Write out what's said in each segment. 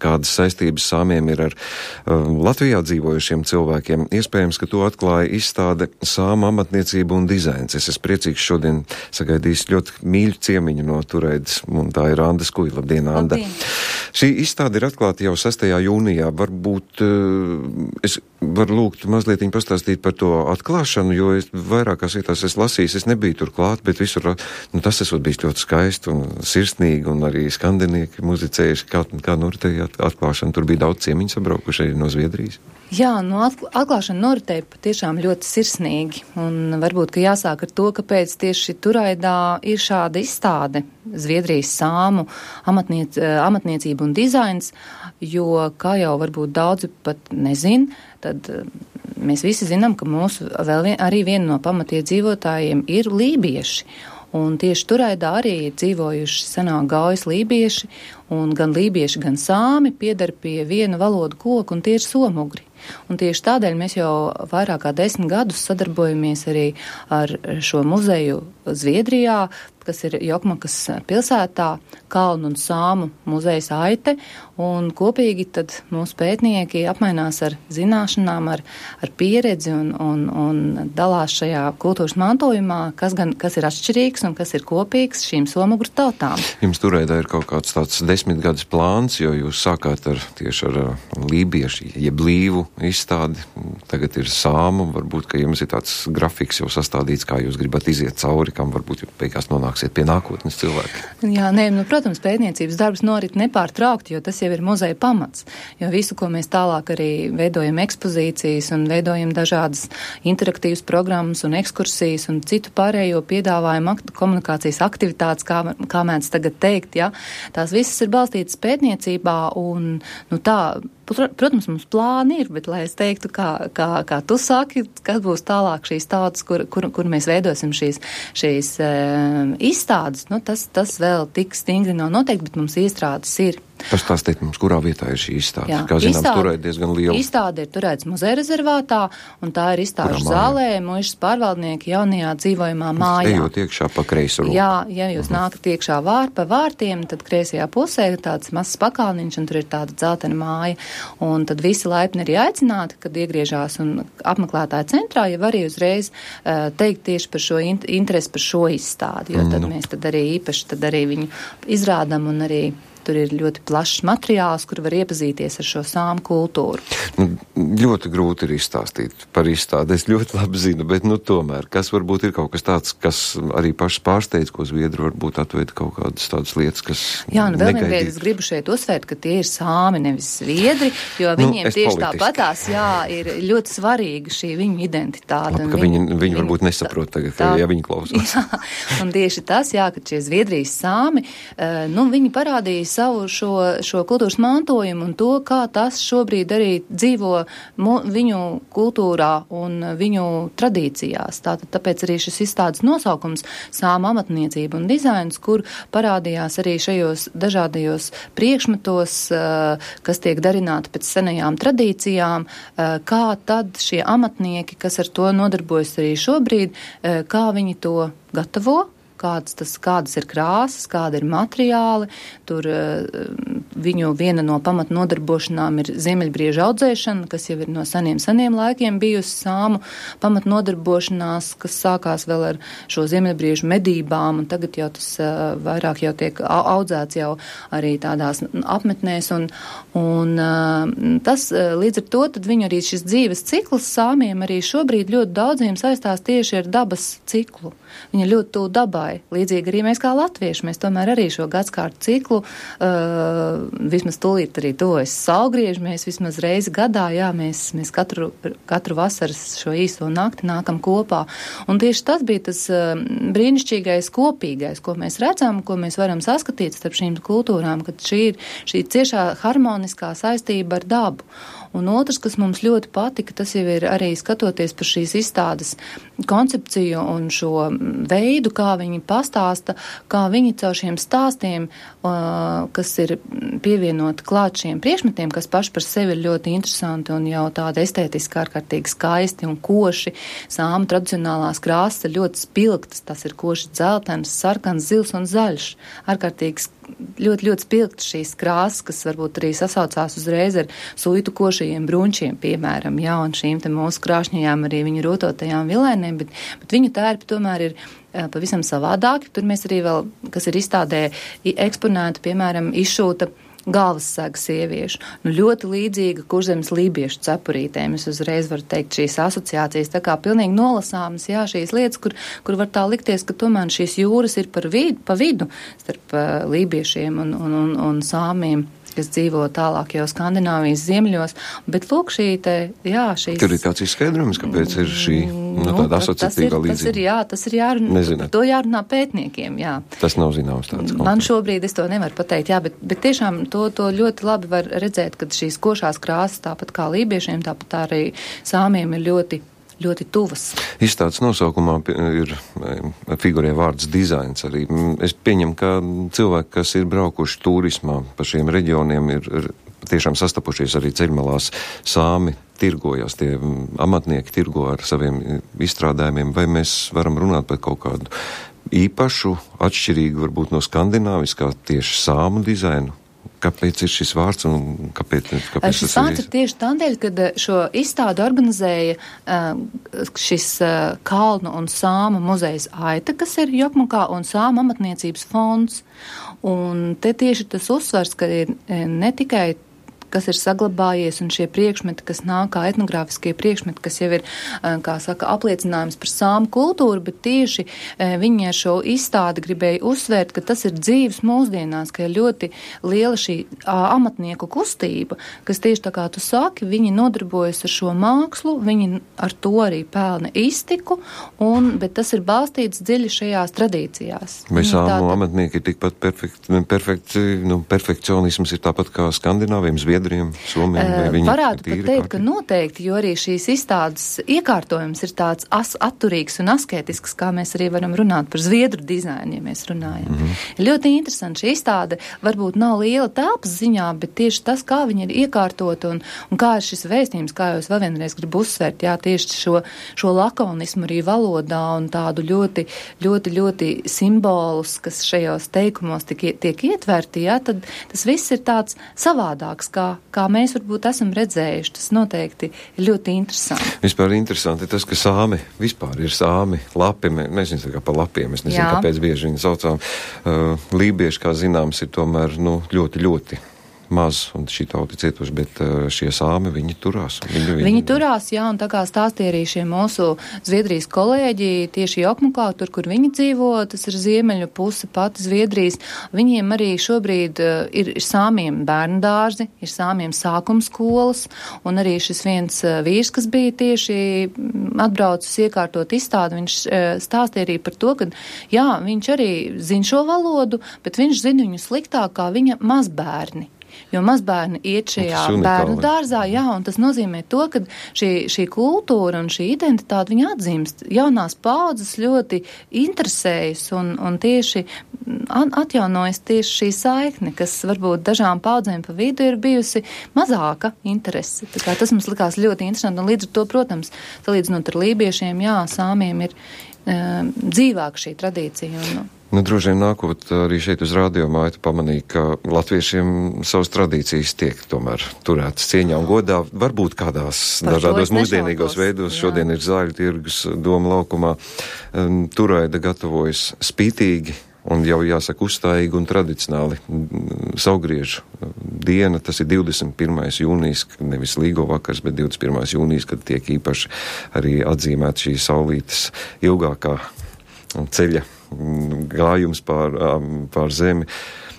kādas saistības sāmiem ir ar Latvijā dzīvojušiem cilvēkiem. Iespējams, ka to atklāja izstāde Sāmu amatniecība un dizains. Es esmu priecīgs šodien sagaidījis ļoti mīļu ciemiņu no Tureidas, un tā ir Anda Skuja. Labdien, Anda! Labdien. Šī izstāde ir atklāta jau 6. jūnijā. Varbūt es varu lūgt mazliet pastāstīt par to atklāšanu, jo es vairākās vietās es lasīju, es nebiju tur klāt, bet visur, tas esot bijis ļoti skaisti un sirsnīgi, un arī skandinieki muzicējuši, kā noritēja atklāšana. Tur bija daudz ciemiņu sabraukuši arī no Zviedrijas. Jā, atklāšana noritēja patiešām ļoti sirsnīgi, un varbūt, ka jāsāk ar to, kāpēc tieši Turaidā ir šāda izstāde Zviedrijas sāmu amatniecība un dizains, jo, kā jau varbūt daudzi pat nezin, tad mēs visi zinām, ka mūsu arī viena no pamatiedzīvotājiem ir lībieši. Un tieši Turaidā arī ir dzīvojuši senāk gaujas lībieši, un gan lībieši, gan sāmi pieder pie viena valodu koka, un tie ir somugri. Un tieši tādēļ mēs jau vairāk kā 10 gadus sadarbojamies arī ar šo muzeju Zviedrijā, kas ir Jokmakas pilsētā, Kalnu un Sāmu muzejs Aite, un kopīgi tad mūsu pētnieki apmainās ar zināšanām, ar pieredzi un dalās šajā kultūras mantojumā, kas ir atšķirīgs un kas ir kopīgs šīm somugru tautām. Jums Turaidā ir kaut kāds tāds 10 gadus plāns, jo jūs sākāt tieši ar lībiešu, jeb līvu izstādi, tagad ir sāmu, varbūt, ka jums ir tāds grafiks jau sastādīts, kā jūs gribat iziet cauri, kam varbūt beigās nonāksiet pie nākotnes cilvēki. Jā, protams, pētniecības darbs norit nepārtraukti, jo tas jau ir muzeja pamats, jo visu, ko mēs tālāk arī veidojam ekspozīcijas un veidojam dažādas interaktīvas programmas un ekskursijas un citu pārējo piedāvājumu komunikācijas aktivitātes, kā mēdz tagad teikt, ja, tās visas ir balstītas pētniecībā un, protams, mums plāni ir, bet, lai es teiktu, kā tu saki, kas būs tālāk šīs tautas, kur mēs veidosim šīs izstādes, tas vēl tik stingri nav noteikti, bet mums iestrādes ir. Pastāstiet mums, kurā vietā ir šī izstāde? Jā, kā zināms, Turēda diezgan liela. Izstāde ir Turēdas muzeja rezervātā, un tā ir izstāžu zālē, muižas pārvaldnieki jaunajā dzīvojumā mājā. Ejot iekšā pa kreiso roku. Jā, ja jūs nākat iekšā pa vārtiem, tad kreisajā pusē ir tāds mazs pakalniņš, un tur ir tāda dzeltena māja, un tad visi laipni arī aicināti, kad iegriežās un apmeklētāja centrā, ja var arī uzreiz teikt tieši par šo interesi par šo izstādi, jo tad mēs tad arī īpaši tad arī viņu izrādam un arī tur ir ļoti plašs materiāls, kur var iepazīties ar šo sāmu kultūru. Ļoti grūti ir izstāstīt par izstādi, es ļoti labi zinu, bet tomēr, kas varbūt ir kaut kas tāds, kas arī pašs pārsteidz, ko zviedri varbūt atveida kaut kādas tādas lietas, kas vēl vienreiz es gribu šeit uzsvērt, ka tie ir sāmi, nevis zviedri, jo viņiem tieši tāpatās, ir ļoti svarīga šī viņu identitāte. Labi, ka viņi varbūt nesaprot tagad, ja viņi klausās. Jā, un tieši tas, ka šie Zviedrijas sāmi, viņi parādīja savu šo kultūras mantojumu un to, kā tas šobrīd arī dzīvo viņu kultūrā un viņu tradīcijās. Tāpēc arī šis izstādes nosaukums Sāmu amatniecība un dizains, kur parādījās arī šajos dažādajos priekšmetos, kas tiek darināti pēc senajām tradīcijām, kā tad šie amatnieki, kas ar to nodarbojas arī šobrīd, kā viņi to gatavo, kādas ir krāsas, kāda ir materiāli. Tur viņu viena no pamat nodarbošanām ir ziemeļbriežu audzēšana, kas jau ir no seniem laikiem bijusi sāmu pamat nodarbošanās, kas sākās vēl ar šo ziemeļbriežu medībām, un tagad jau tas vairāk jau tiek audzēts jau arī tādās apmetnēs, un tas līdz ar to, tad viņu arī šis dzīves cikls sāmiem arī šobrīd ļoti daudziem saistās tieši ar dabas ciklu. Viņa ļoti tuvu dabai. Līdzīgi arī mēs kā latvieši, mēs tomēr arī šo gadskārtu ciklu, vismaz tūlīt arī tuvojas saulgrieži, mēs vismaz reizi gadā, mēs katru vasaras šo īso nakti nākam kopā. Un tieši tas bija tas brīnišķīgais kopīgais, ko mēs redzam, ko mēs varam saskatīt starp šīm kultūrām, kad šī ir šī ciešā harmoniskā saistība ar dabu. Un otrs, kas mums ļoti patika, tas jau ir arī skatoties par šīs izstādes koncepciju un šo veidu, kā viņi pastāsta, kā viņi caur šiem stāstiem, kas ir pievienoti klāt šiem priekšmetiem, kas paši par sevi ir ļoti interesanti un jau tāda estētiski ārkārtīgi skaisti un koši. Sāmu tradicionālās krāsas ir ļoti spilgtas, tas ir koši dzeltens, sarkans, zils un zaļš. Ārkārtīgi ļoti, ļoti spilgti šīs krāsas, kas varbūt arī sasaucās uzreiz ar suitu košajiem brunčiem, piemēram, un šīm te mūsu krāšņajām arī viņu rūtotajām vilēniem, bet viņu tērpi tomēr ir pavisam savādāki. Tur mēs arī vēl, kas ir izstādē eksponēti, piemēram, izšūta galvassega sieviešu. Ļoti līdzīga Kurzemes lībiešu cepurītēm. Es uzreiz varu teikt šīs asociācijas, tā kā pilnīgi nolasāmas, šīs lietas, kur var tā likties, ka tomēr šīs jūras ir pa vidu starp lībiešiem un sāmiem, kas dzīvo tālāk jau Skandināvijas ziemeļos, bet lūk šīs... Tur ir kāds izskaidrojums, kāpēc ir šī tāda asociatīvā līdzība. Tas ir jārunā, to jārunā pētniekiem, Tas nav zināms tāds. Man šobrīd es to nevaru pateikt, bet tiešām to ļoti labi var redzēt, kad šīs košās krāsas, tāpat kā lībiešiem, tāpat arī sāmiem ir ļoti tuvas. Izstādes nosaukumā ir figurē vārds dizains arī. Es pieņemu, ka cilvēki, kas ir braukuši turismā pa šiem reģioniem, ir tiešām sastapušies arī ceļmalās sāmi tirgojas, tie amatnieki tirgo ar saviem izstrādājumiem, vai mēs varam runāt par kaut kādu īpašu, atšķirīgu varbūt no skandināviskā tieši sāmu dizainu? Kāpēc ir šis vārds un kāpēc šis vārds ir tieši tādēļ, kad šo izstādi organizēja šis Kalnu un sāma muzejs Aita, kas ir Jokmukā, un sāma amatniecības fonds. Un te tieši tas uzsvars, ka ir ne tikai kas ir saglabājies, un šie priekšmeti, kas nāk kā etnogrāfiskie priekšmeti, kas jau ir, kā saka, apliecinājums par sāmu kultūru, bet tieši viņi ar šo izstādi gribēja uzsvērt, ka tas ir dzīves mūsdienās, ka ir ļoti liela šī amatnieku kustība, kas tieši tā kā tu saki, viņi nodarbojas ar šo mākslu, viņi ar to arī pelna iztiku, bet tas ir balstīts dziļi šajās tradīcijās. Vai sāmu amatnieki ir tikpat perfekcionisms ir tāpat kā skandināviem, Zviedriem, Somiem? Varētu pat teikt, ka noteikti, jo arī šīs izstādes iekārtojums ir tāds atturīgs un asketisks, kā mēs arī varam runāt par zviedru dizainu, ja mēs runājam. Ļoti interesanti šī izstāde, varbūt nav liela telpas ziņā, bet tieši tas, kā viņi ir iekārtot un kā ir šis vēstījums, kā jau es vēl vienreiz gribu uzsvērt, tieši šo lakonismu arī valodā un tādu ļoti, ļoti, ļoti simbolus, kas šajos teikumos tiek ietverti, tad tas viss ir tāds savādāks, kā mēs varbūt esam redzējuši. Tas noteikti ir ļoti interesanti. Vispār interesanti tas, ka sāmi vispār ir sāmi, lapi, nezinu kā par lapiem, es nezinu, kāpēc bieži viņi saucām. Lībieši, kā zināms, ir tomēr ļoti, ļoti maz, un šī tauta cietuši, bet šie sāmi, viņi turās. Viņi turās, un tā kā stāstīja arī šie mūsu Zviedrijas kolēģi, tieši Jokmukā, tur, kur viņi dzīvo, tas ir ziemeļu puse pati Zviedrijas, viņiem arī šobrīd ir sāmiem bērnu dārzi, ir sāmiem sākumskolas, un arī šis viens vīrs, kas bija tieši atbraucis iekārtot izstādi, viņš stāstīja arī par to, ka, viņš arī zina šo valodu, bet viņš zina viņu sliktāk kā viņa mazbērni. Jo mazbērni iet šajā bērnu dārzā, un tas nozīmē to, ka šī kultūra un šī identitāte viņa atzīmst. Jaunās paudzes ļoti interesējas un tieši atjaunojas tieši šī saikne, kas varbūt dažām paudzēm pa vidu ir bijusi mazāka interese. Tā kā tas mums likās ļoti interesanti, un līdz ar to, protams, salīdzinot ar lībiešiem, sāmiem ir dzīvāka šī tradīcija. Droši vien nākot arī šeit uz Radio Maitu pamanīja, ka latviešiem savas tradīcijas tiek tomēr turētas cieņā un godā, varbūt kādās dažādos mūsdienīgos veidos. Šodien ir Zāļu tirgus Doma laukumā. Turaida gatavojas spītīgi un jau jāsaka uzstājīgi un tradicionāli saulgriežu diena. Tas ir 21. jūnijas, nevis līgo vakars, bet 21. jūnijas, kad tiek īpaši arī atzīmēt šī saulītes ilgākā ceļa gājums pār zemi.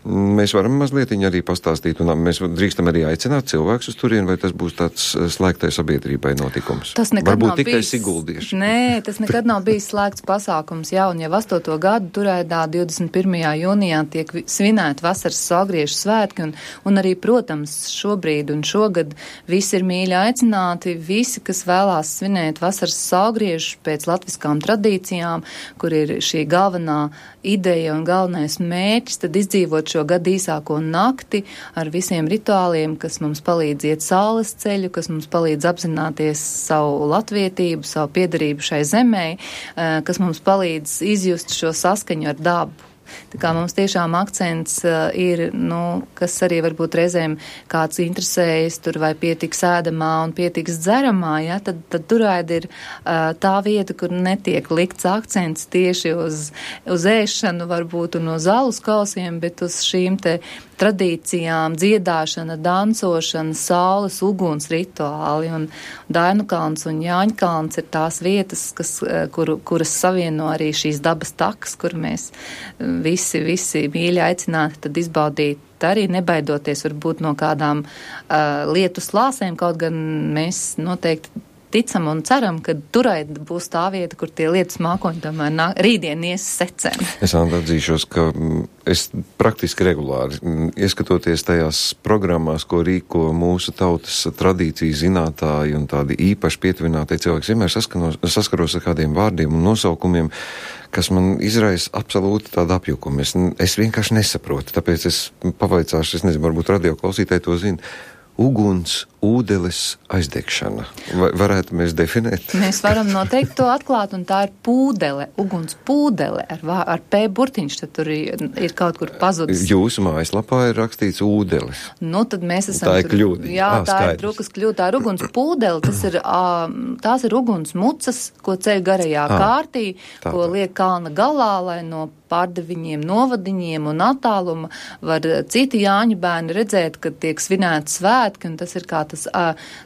Mēs varam mazliet arī pastāstīt, un mēs drīkstam arī aicināt cilvēkus uz turien, vai tas būs tāds slēgtai sabiedrībai notikums? Tas nekad varbūt nav tikai bijis siguldieši. Nē, tas nekad nav bijis slēgts pasākums, un jau 8. gadu Turaidā 21. jūnijā tiek svinēti vasaras saulgriežu svētki, un arī, protams, šobrīd un šogad visi ir mīļi aicināti, visi, kas vēlās svinēt vasaras saulgriežus pēc latviskām tradīcijām, kur ir šī galvenā ideja un galvenais mērķis, tad izdzīvot šo gadu īsāko nakti ar visiem rituāliem, kas mums palīdz iet saules ceļu, kas mums palīdz apzināties savu latvietību, savu piederību šai zemē, kas mums palīdz izjust šo saskaņu ar dabu. Tā kā mums tiešām akcents ir, kas arī varbūt reizēm kāds interesējas tur vai pietiks ēdamā un pietiks dzeramā, ja, tad Turaida ir tā vieta, kur netiek likts akcents tieši uz ēšanu varbūt un uz alus kausiem, bet uz šīm te tradīcijām, dziedāšana, dancošana, saules, uguns rituāli, un Dainu kalns un Jāņa kalns ir tās vietas, kuras savieno arī šīs dabas takas, kur mēs visi mīļi aicināti tad izbaudīt arī nebaidoties varbūt no kādām lietu slāsēm, kaut gan mēs noteikti ticam un ceram, ka Turaida būs tā vieta, kur tie lietas mākoņi tomēr rītdien ies secēm. Es atzīšos, ka es praktiski regulāri, ieskatoties tajās programmās, ko rīko mūsu tautas tradīciju zinātāji un tādi īpaši pietuvinātie cilvēki, vienmēr saskaros ar kādiem vārdiem un nosaukumiem, kas man izraisa absolūti tādu apjukumu. Es vienkārši nesaprotu, tāpēc es pavaicāšu, es nezinu, varbūt radio klausītāji to zina. Uguns, ūdeles aizdegšana. Varētu mēs definēt? Mēs varam noteikti to atklāt, un tā ir pūdele, uguns pūdele ar P burtiņš, tad tur ir kaut kur pazudis. Jūsu mājaslapā ir rakstīts ūdeles. Tad mēs esam... Tā ir kļūda. Jā, tā skaidrs. Ir drukas kļūda. Tā ir uguns pūdele, tās ir uguns mucas, ko ceļ garajā kārtī, ko liek kalna galā, lai no pārdeviņiem, novadiņiem un attāluma var citi Jāņa bērni redzēt, kad tiek svinēti svētki, un tas ir kā tas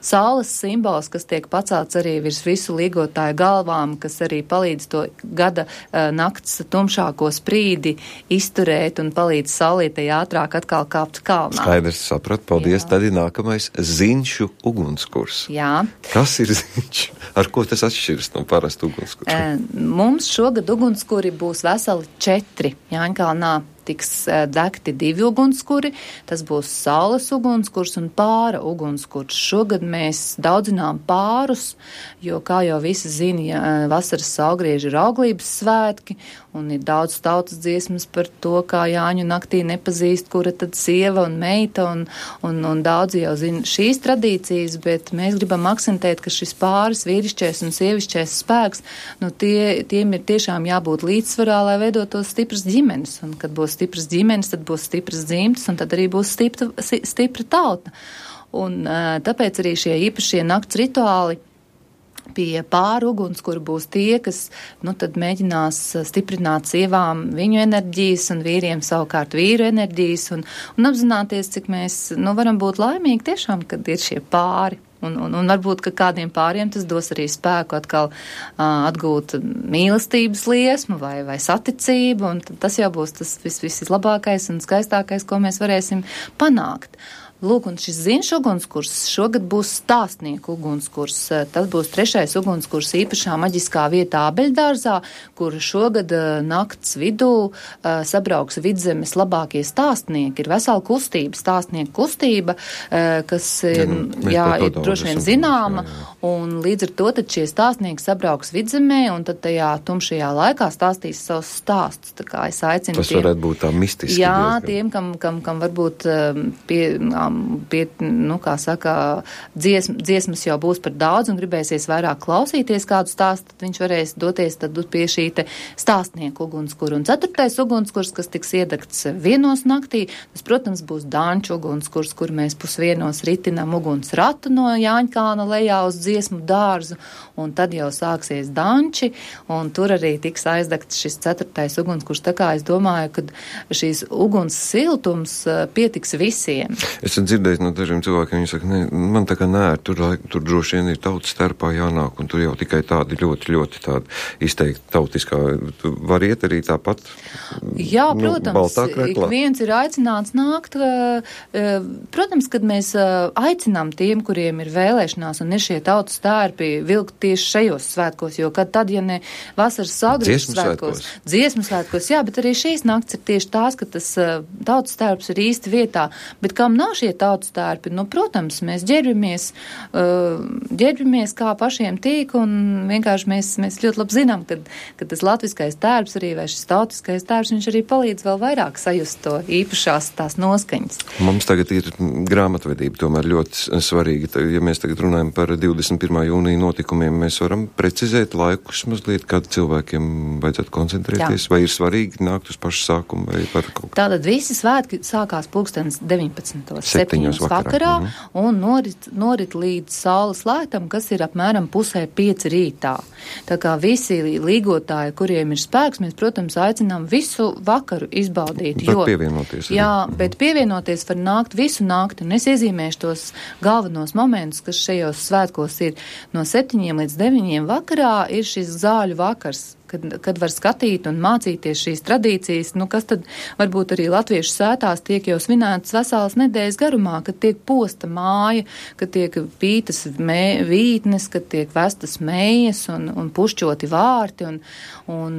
saules simbols, kas tiek pacelts arī virs visu līgotāju galvām, kas arī palīdz to gada nakts tumšāko sprīdi izturēt un palīdz saulītei ātrāk atkal kāpt kalnā. Skaidrs, sapratu, paldies. Jā. Tad ir nākamais Ziņšu ugunskurs. Jā. Kas ir Ziņš? Ar ko tas atšķiras no parastu ugunskursu? Mums šogad ugunskuri būs veseli 4. Jāņkalnā tiks degti 2 ugunskuri, tas būs saules ugunskurs un pāra ugunskurs. Šogad mēs daudzinām pārus, jo, kā jau visi zina, vasaras saulgrieži ir auglības svētki, un ir daudz tautas dziesmas par to, kā Jāņu naktī nepazīst, kura tad sieva un meita, un daudzi jau zina šīs tradīcijas, bet mēs gribam akcentēt, ka šis pāris vīrišķais un sievišķais spēks, tiem ir tiešām jābūt līdzsvarā, lai veidotos stipras ģimenes, un kad būs stipras ģimenes, tad būs stipras dzimtas, un tad arī būs stipra tauta. Un tāpēc arī šie īpašie nakts rituāli pie pāri ugunskura būs tie, kas, tad mēģinās stiprināt sievām viņu enerģijas un vīriem savukārt vīru enerģijas un apzināties, cik mēs, varam būt laimīgi tiešām, kad ir šie pāri. Un varbūt, ka kādiem pāriem tas dos arī spēku atkal atgūt mīlestības liesmu vai saticību, un tas jau būs tas vislabākais un skaistākais, ko mēs varēsim panākt. Lūk, un šis Ziņš ugunskurs šogad būs stāstnieku ugunskurs. Tas būs 3. ugunskurs īpašā maģiskā vietā Abeļdārzā, kur šogad nakts vidū sabrauks Vidzemes labākie stāstnieki. Ir vesela kustība, stāstnieku kustība, kas ir droši vien zināma, un līdz ar to tad šie stāstnieki sabrauks Vidzemē, un tad tajā tumšajā laikā stāstīs savus stāstus. Tā kā es aicinu tas varētu būt tā mistiski. Jā, diezgan. Tiem, kam varbūt kā saka, dziesmas jau būs par daudz un gribēsies vairāk klausīties kādu stāstu, tad viņš varēs doties tad pie šī te stāstnieku ugunskura. Un 4. ugunskurs, kas tiks iedegts 1 naktī, tas, protams, būs Danču ugunskurs, kur mēs pusvienos ritinam uguns ratu no Jāņkalna lejā uz dziesmu dārzu, un tad jau sāksies danči, un tur arī tiks aizdegts šis 4. ugunskurs. Tā kā es domāju, ka šīs uguns siltums pietiks visiem. Es dzirdējis no dažiem cilvēkiem, viņi saka, man tā kā tur droši vien ir tautas starpā jānāk, un tur jau tikai tādi ļoti tādi izteikti tautiskā. Var iet arī tāpat? Jā, protams, ik viens ir aicināts nākt. Protams, kad mēs aicinām tiem, kuriem ir vēlēšanās un ir šie tautas stērpi vilkt tieši šajos svētkos, jo tad, ja ne vasaras sagriežu svētkos, dziesmu svētkos, jā, bet arī šīs nakts ir tieši tās, ka tas tautas stērps ir īsti vietā, bet kam nav šī šie tautas tērpi, nu, protams, mēs ģērbjamies kā pašiem tīk, un vienkārši mēs ļoti labi zinām, ka tas latviskais tērps arī, vai šis tautiskais tērps, viņš arī palīdz vēl vairāk sajust to īpašās tās noskaņas. Mums tagad ir grāmatvedība tomēr ļoti svarīga. Ja mēs tagad runājam par 21. jūnija notikumiem, mēs varam precizēt laikus mazliet, kad cilvēkiem vajadzētu koncentrēties, vai ir svarīgi nākt uz pašu sākumu, vai par kaut kā. Tātad visi svētki sākās 19:07 vakarā, un norit līdz saules lētam, kas ir apmēram 4:30 rītā. Tā kā visi līgotāji, kuriem ir spēks, mēs, protams, aicinām visu vakaru izbaudīt. Bet pievienoties. Jā, bet pievienoties var nākt visu nakti, un es iezīmēšu tos galvenos momentus, kas šajos svētkos ir no 7 līdz 9 vakarā, ir šis zāļu vakars, kad var skatīt un mācīties šīs tradīcijas, nu, kas tad varbūt arī latviešu sētās tiek jau svinētas veselas nedēļas garumā, kad tiek posta māja, kad tiek pītas vītnes, kad tiek vestas mējas un pušķoti vārti, un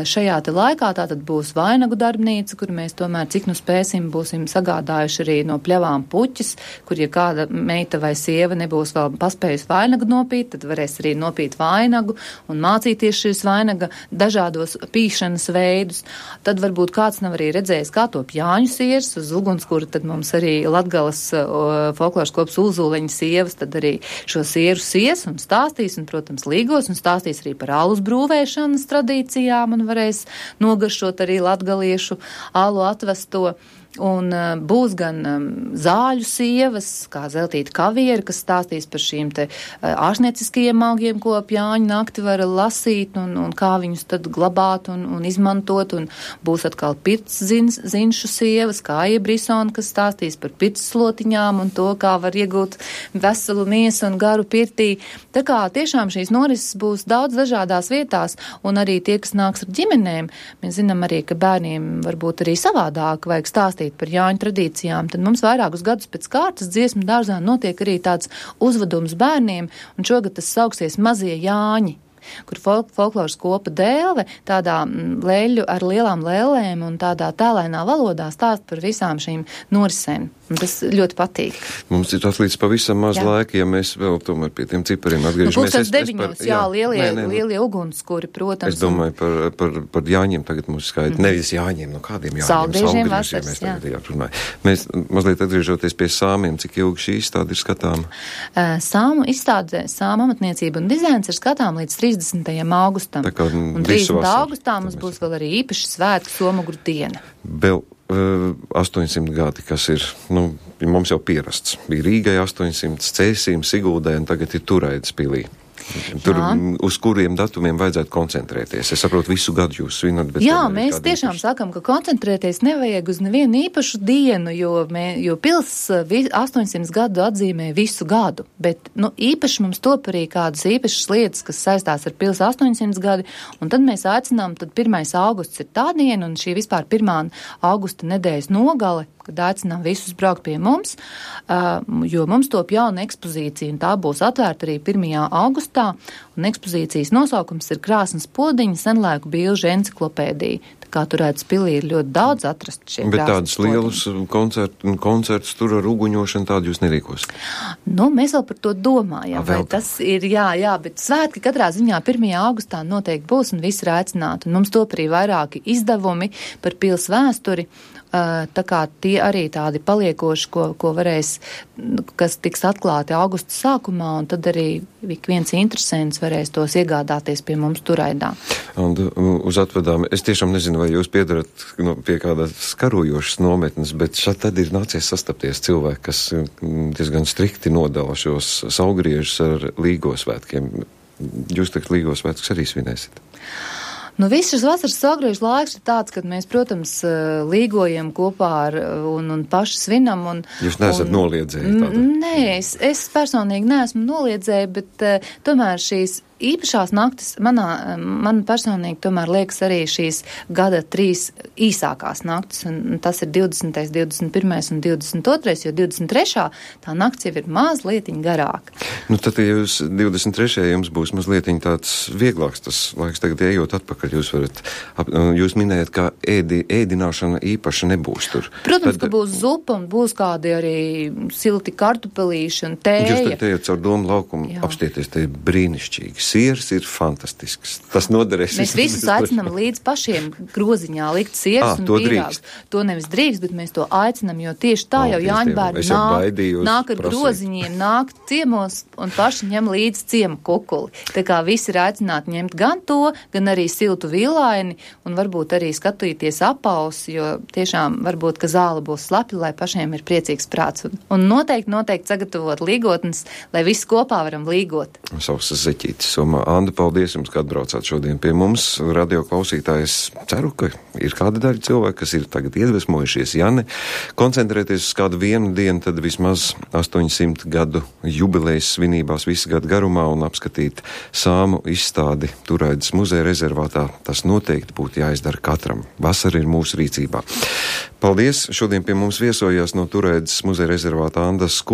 šajā te laikā tātad būs vainagu darbnīca, kur mēs tomēr, cik nu spēsim, būsim sagādājuši arī no pļavām puķis, kur, ja kāda meita vai sieva nebūs vēl paspējusi vainagu nopīt, tad varēs arī nopīt vainagu un mācīties šīs vainaga dažādos pīšanas veidus. Tad varbūt kāds nav arī redzējis, kā top Jāņu siers uz ugunskura, tad mums arī Latgales folkloras kops Ulzuleņa sievas, tad arī šo sieru sies un stāstīs, un, protams, līgos, un stāstīs arī par alus brūvēšanas tradīcijām, un varēs nogaršot arī latgaliešu alu atvesto. Un būs gan zāļu sievas, kā Zeltīta Kaviera, kas stāstīs par šīm te ārstnieciskajiem augiem, ko ap Jāņu nakti var lasīt, un kā viņus tad glabāt un izmantot, un būs atkal pirts zinšu sievas, kā Iebrisona, kas stāstīs par pirts slotiņām un to, kā var iegūt veselu miesu un garu pirtī. Tā kā tiešām šīs norises būs daudz dažādās vietās, un arī tie, kas nāks ar ģimenēm, mēs zinām arī, ka bērniem varbūt arī savādāk vajag stāstīt par Jāņu tradīcijām, tad mums vairākus gadus pēc kārtas dziesmu dārzā notiek arī tāds uzvedums bērniem, un šogad tas sauksies Mazie Jāņi, kur folkloras kopa Dēlve tādā leļu ar lielām lēlēm un tādā tēlēnā valodā stāst par visām šīm norisēm. Un tas ļoti patīk. Mums ir atlīdz pavisam maz laika, ja mēs vēl tomēr pie tiem cipariem atgriežamies. Lielie ugunskuri, protams. Es domāju par Jāņiem tagad mums skaidri. Nevis Jāņiem, no kādiem Jāņiem. Salgriežiem vasaras, mēs tagad runājam. Mēs mazliet atgriežoties pie sāmiem, cik ilgi šī izstāde ir skatāma? Sāmu izstāde, sāma amatniecība un dizains ir skatām līdz 30. augustam. Un 30. augustā mums būs vēl arī īpaši svētku Somogru diena. Vēl 800 gadi, kas ir, mums jau pierasts. Bija Rīgai 800, Cēsīm, Siguldai un tagad ir Turaidas pilī. Tur, uz kuriem datumiem vajadzētu koncentrēties? Es saprotu, visu gadu jūs svinat, bet... Jā, mēs tiešām sakam, ka koncentrēties nevajag uz nevienu īpašu dienu, jo pils 800 gadu atzīmē visu gadu, bet, īpaši mums top arī kādas īpašas lietas, kas saistās ar pils 800 gadi, un tad mēs aicinām, tad 1. augusts ir tā diena, un šī vispār 1. augusta nedēļas nogale, kad aicinām visus braukt pie mums, jo mums top jauna ekspozīcija, un tā būs atvērta arī 1. augustā, un ekspozīcijas nosaukums ir Krāsnes podiņa senlaiku bilžu enciklopēdija. Tā kā Turaidas pilī ir ļoti daudz atrast šie bet tādus lielus koncertus tur ar uguņošanu tādu jūs nerīkos? Mēs vēl par to domājam, vai tas ir, jā, bet svētki katrā ziņā 1. augustā noteikti būs, un visi ir aicināti, un mums top arī vairāki izdevumi par pils vēsturi, tā kā tie arī tādi paliekoši, ko varēs, kas tiks atklāti augusta sākumā, un tad arī viens interesants varēs tos iegādāties pie mums Turaidā. Un uz atvedām, es tiešām nezinu, vai jūs piedarat pie kādas karojošas nometnes, bet šad tad ir nācies sastapties cilvēki, kas diezgan strikti nodala šos saugriežus ar līgosvētkiem. Jūs tagad līgosvētkus arī svinēsiet? Viss šis vasaras saugriežu laiks ir tāds, kad mēs, protams, līgojam kopā un paši svinam. Jūs neesat noliedzēji tāda? Nē, es personīgi neesmu noliedzēji, bet tomēr šīs īpašās naktis man personīgi tomēr liekas arī šīs gada 3 īsākās naktis, un tas ir 20., 21. un 22., jo 23. tā nakts jau ir mazlietiņ garāka. Nu, tad, ja jūs 23. jums būs mazlietiņ tāds vieglāks tas laiks, tagad ejot atpakaļ, jūs minējat, ka ēdināšana īpaši nebūs tur. Protams, ka būs zupa un būs kādi arī silti kartupelīši un tēja. Jūs tad ejat caur Domu laukumu, apstieties, te ir brīnišķīgi. Siers ir fantastisks. Tas noderēs. Mēs visus aicinām līdz pašiem groziņā likt sieras un pīrāgus. To nevis drīkst, bet mēs to aicinām, jo tieši tā jau Jāņbērni nāk ar groziņiem, nāk ciemos un paši ņem līdz ciemu kukuli. Tā kā visi ir aicināti ņemt gan to, gan arī siltu vilaini un varbūt arī skatīties apaus, jo tiešām varbūt, ka zāle būs slapja, lai pašiem ir priecīgs prāts. Un noteikti sagatavot līgotnes, lai visi kopā varam līgot. Sausas zeķītes somā. Anda, paldies jums, ka atbraucāt šodien pie mums. Radio klausītājs ceru, ka ir kāda daļa cilvēku, kas ir tagad iedvesmojušies. Ja ne koncentrēties uz kādu vienu dienu, tad vismaz 800 gadu jubilejas svinībās visu gadu garumā un apskatīt sāmu izstādi Turaidas muzeja rezervātā. Tas noteikti būtu jāizdara katram. Vasara ir mūsu rīcībā. Paldies! Šodien pie mums viesojās no Turaidas muzeja rezervāta Anda Skuja.